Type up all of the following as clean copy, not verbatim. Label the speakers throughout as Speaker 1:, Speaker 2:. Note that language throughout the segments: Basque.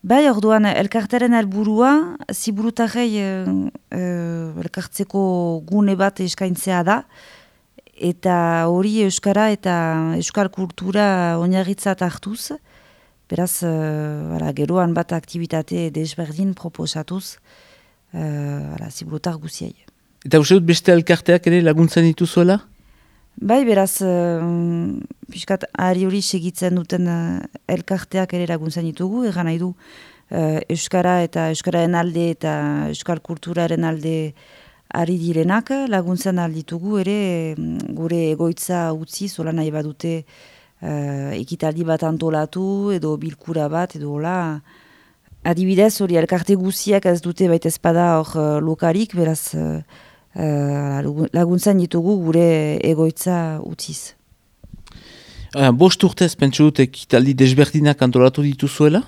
Speaker 1: Bai, orduan, elkartaren helburua ziburutarrei elkartzeko gune bat eskaintzea da, eta hori euskara eta euskal kultura oinarritzat hartuz, beraz, geroan bat aktivitate desberdin proposatuz ziburutar guziei.
Speaker 2: Eta uste dut beste elkarteak ere laguntzen dituzuela?
Speaker 1: Bai, beraz, piskat ari hori segitzen duten elkarteak ere laguntzen ditugu, egan nahi du euskara eta euskararen alde eta euskal kulturaren alde ari direnak laguntzen alditugu ere gure egoitza utzi, zola nahi badute ekitaldi bat antolatu edo bilkura bat edo hola. Adibidez hori elkarte guziak ez dute baita ezpada hor lokarik, beraz laguntzen ditugu gure egoitza utziz.
Speaker 2: Bost urtez pentsu dut ekitaldi desberdinak antolatu dituzuela?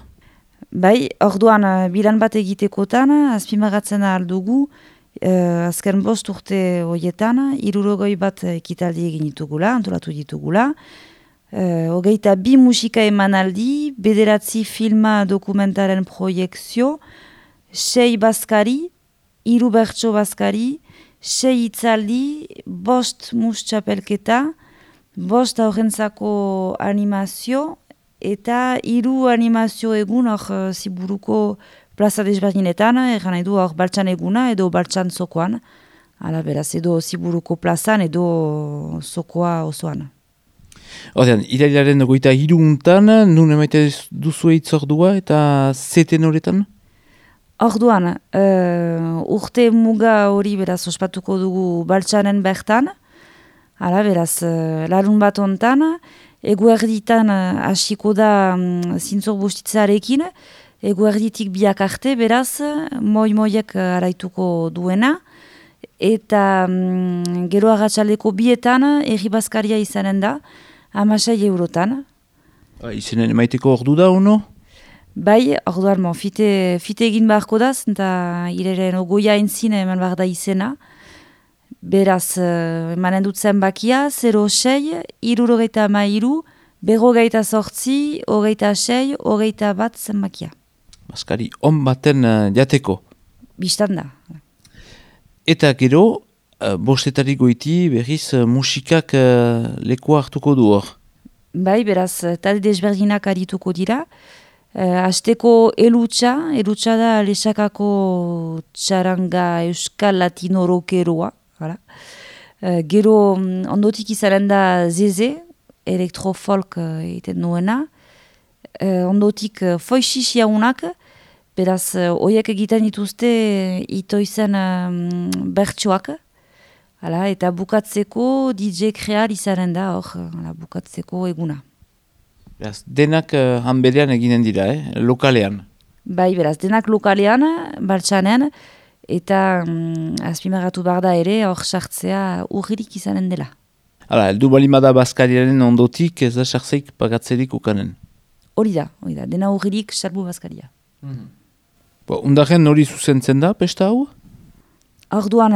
Speaker 1: Bai, orduan bilan bat egitekotan, azpimagatzen aldugu, azken bost urte horietan, 60 bat ekitaldi egin ditugula, antolatu ditugula. 22 musika emanaldi, 9 filma dokumentaren proiekzio, 6 bazkari, 3 bertso bazkari, 6 hitzaldi, 5 mus txapelketa, 5 aurrentzako animazio, eta 3 animazio egun hor ziburuko plaza desberdinetan, egan nahi du hor baltsan eguna edo baltsan zokoan, ala beraz edo ziburuko plazan edo zokoa osoan.
Speaker 2: Ordean, irailaren 23 nun emaite duzu hitzordua eta zeten horretan?
Speaker 1: Orduan, urte muga hori beraz ospatuko dugu baltsanen bertan, ala beraz larun bat ontan, eguerditan hasiko da zintzor bustitzarekin, eguerditik biak arte beraz, moi-moiek araituko duena, eta gero agatxaldeko bietan erribazkaria izanen da, 16 eurotan.
Speaker 2: Izenen emaiteko ordu da, ono?
Speaker 1: Bai, orduan, fite egin beharko da, eta ireren ogoia entzin eman behar da izena. Beraz, emanen dut zenbakia, 06, 63, 58, 26, 21 zenbakia.
Speaker 2: Baskari, on baten jateko?
Speaker 1: Bistan da.
Speaker 2: Eta gero, bostetarik goiti berriz musikak lekoa hartuko du hor?
Speaker 1: Bai, beraz, talde desberdinak arituko dira. Hasteko elutsa da lesakako txaranga euskal latino rokeroa. Gero ondotik izanen da zeze, elektrofolk egiten nuena. Ondotik foixix jaunak, beraz, oiek egiten dituzte itoizen bertsoak. Eta bukatzeko DJ Kreal izanen da hor, bukatzeko eguna.
Speaker 2: Beraz, denak hanberean eginen dira, lokalean?
Speaker 1: Bai, beraz, denak lokalean, baltsanen, eta azpimarratu behar da ere hor sartzea urririk izanen dela.
Speaker 2: Hala, eldu balimada Baskariaren ondotik ez da sartzeik pagatzerik ukanen?
Speaker 1: Hori da, dena urririk salbu Baskaria.
Speaker 2: Undaren hori zuzentzen da, pesta hau?
Speaker 1: Orduan,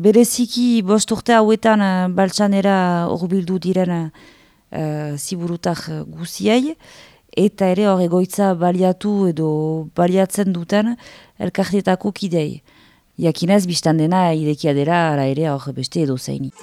Speaker 1: bereziki bost urte hauetan baltsanera horbildu diren ziburutar guziei, eta ere hor egoitza baliatu edo baliatzen duten elkartetako kidei. Jakinez, biztan dena irekia dela, ara ere hor beste edo zeini.